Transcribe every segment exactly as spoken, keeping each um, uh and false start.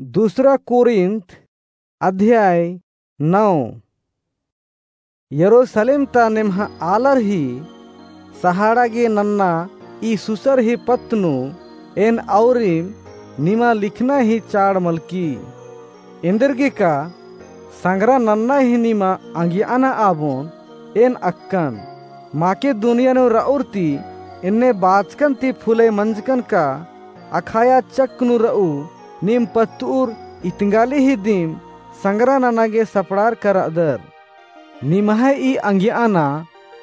दूसरा कोरिन्थ अध्याय नौ। यरूसलेम ता नेम्हा आलर ही सहाड़ा गे नन्ना ई सुसर ही पत्त नू एन औरिम निमा लिखना ही चाड़ मलकी। एन्देरगेका संगरा नन्ना ही निमा अंगियाना आबोन एन अक्कन। माकेदुनिया नू रऊर ती एन्ने बाचकन ती फुलय मंजकन का अखाया चक्क नू रऊ नीम पत्तउर इतंगाली ही दिम संगरा नना गे सपड़ारका रअदर। निम्है ई अंगियाना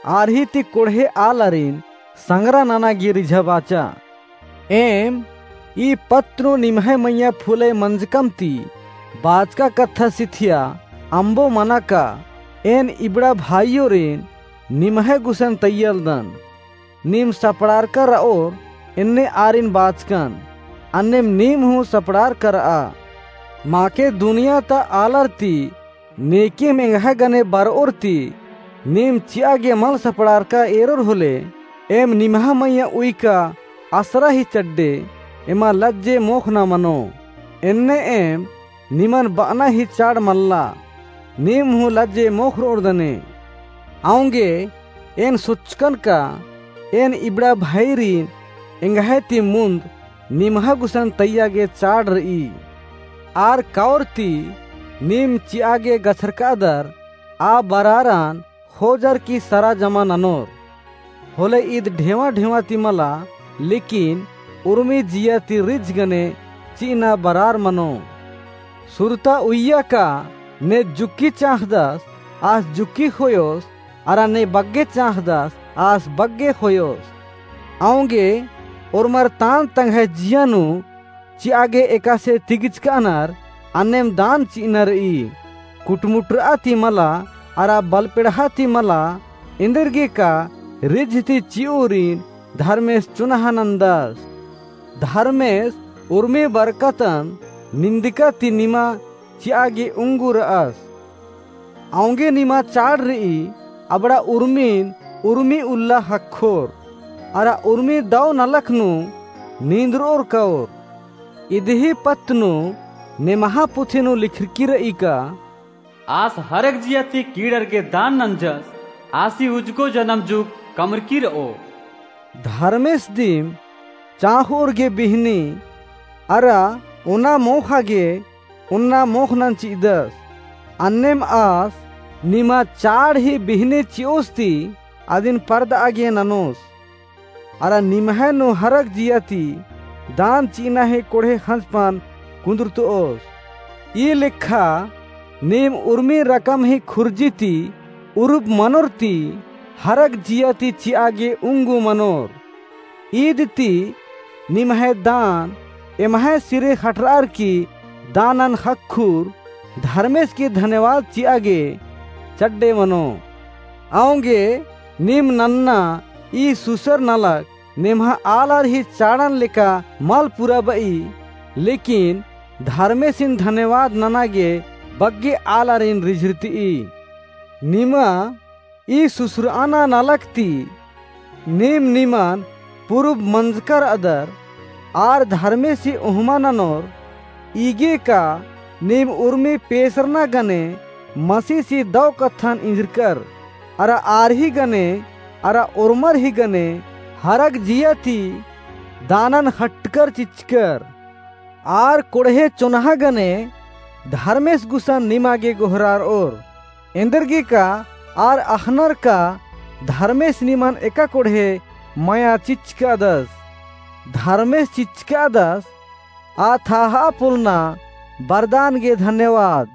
आर ही ती कोड़हे आलारिन संगरा नना गे रिझाबाचा। एम ई पत्त नू निम्है मइय्याँ फुलय मंजकम ती बाचका कत्था सिथिया अम्बो मना का एन इबड़ा भाईयोरिन निम्है गुसन तैय्यालदन। नीम सपड़ारका रओर एन्ने आरिन बाचकन, अन्नेम नीम हूँ सपड़ारका रआ। माकेदुनिया ता आलर ती नेकेम एंग्है गने बरओर ती नीम चिआ गे मल सपड़ारका एरोर होले, एम निम्है मइय्याँ उइका असरा ही चड्डे, एमा लज्जे मोख़ना मनो। एन्ने एम निमन बअना ही चाड़ मल्ला, नीम हूँ लज्जे मोख़रओर दने। औंगे एन सोचकन का एन इबड़ा भाईरिन एंग्है ती मुन्द निम्है गुसन तैय्या गे चाड़ रई। आर कओर ती नीम चिआ गे गछरकादर आ बरारन ख़ोजर की सरा जमा ननोर। होले ईद ढेवा ढेवा ती मला, लेकिन उर्मी जिया ती रिझ गने चिअना बरार मनो। सुरता उइय्या का ने जुक्की चाँख़दस आस जुक्की ख़ोयोस, अरा ने बग्गे चाँख़दस आस बग्गे ख़ोयोस। औंगे ओर्मर तान तंग्है जिया नू चिआ गे एकासे तिगिचकानर अन्नेम दान चिअना रई। कुटमुटरआ ती मला अरा बलपेड़हा ती मला, एन्देरगेका रिझ ती चिओरिन धर्मेस चुनहा नन्दस। धर्मेस उर्मी बरकतन निंदका ती निमा चिआ गे उंगु रअस। औंगे निमा चाड़ रई, अबड़ा उर्मिन उर्मी उल्ला ख़क्खोर, अरा उर्मी दौ नलख नू नींदरओर कओर। इदही पत्त नू नेम्हा पुथी नू लिखरकी रई का, आस हरक जिया ती कीड़र गे दान नंजस, आसी उजगो जनम जुग कमरकी रओ। धर्मेस दिम चाँख़ोर गे बिहनी, अरा ओना मोख़ा गे ओन्ना मोख़नन चिअदस। अन्नेम आस निमा चाड़ ही बिहनी चिओस ती अदिन परदआ गे ननोस। अरा निम्है नू हरक जिया ती दान चिअना ही कोड़हे ख़ंजपन कुन्दुरतओस। ई लेखा नीम उर्मी रकम ही खुर्जी ती उरुब मनोर ती हरक जिया ती चिआ गे उंगु मनोर। ईद ती निम्है दान एम्है सिरे ख़टरअर की दानन ख़क्खुर धर्मेस की धन्यवाद चिआ गे चड्डे मनो। औंगे नीम नन्ना ई सुसर नलख नेम्हा आलर ही चाड़न लेका मल पुराबई, लेकिन धर्मेसिन धन्यवाद नना गे बग्गे आलारिन रिझरतई। निमा ई सुसरअना नलख ती नीम निमन पुरुब मंजकर अदर, आर धर्मेसी ओहमा ननोर। ईगे का नीम उर्मी पेसरना गने मसीसी दौ कत्थन इंजरकर, अरा आर ही गने अरा ओर्मर ही गने हरक जिया ती दानन ख़ट्टकर चिच्चकर। आर कोड़हे चोन्हा गने धर्मेस गुसन निमा गे गोहरारओर। एन्देरगे का आर अख़नर का धर्मेस निमन एका कोड़हे मया चिच्चकादस। धर्मेस चिच्चकादस आ थाहा पोलना बरदान गे धन्यवाद।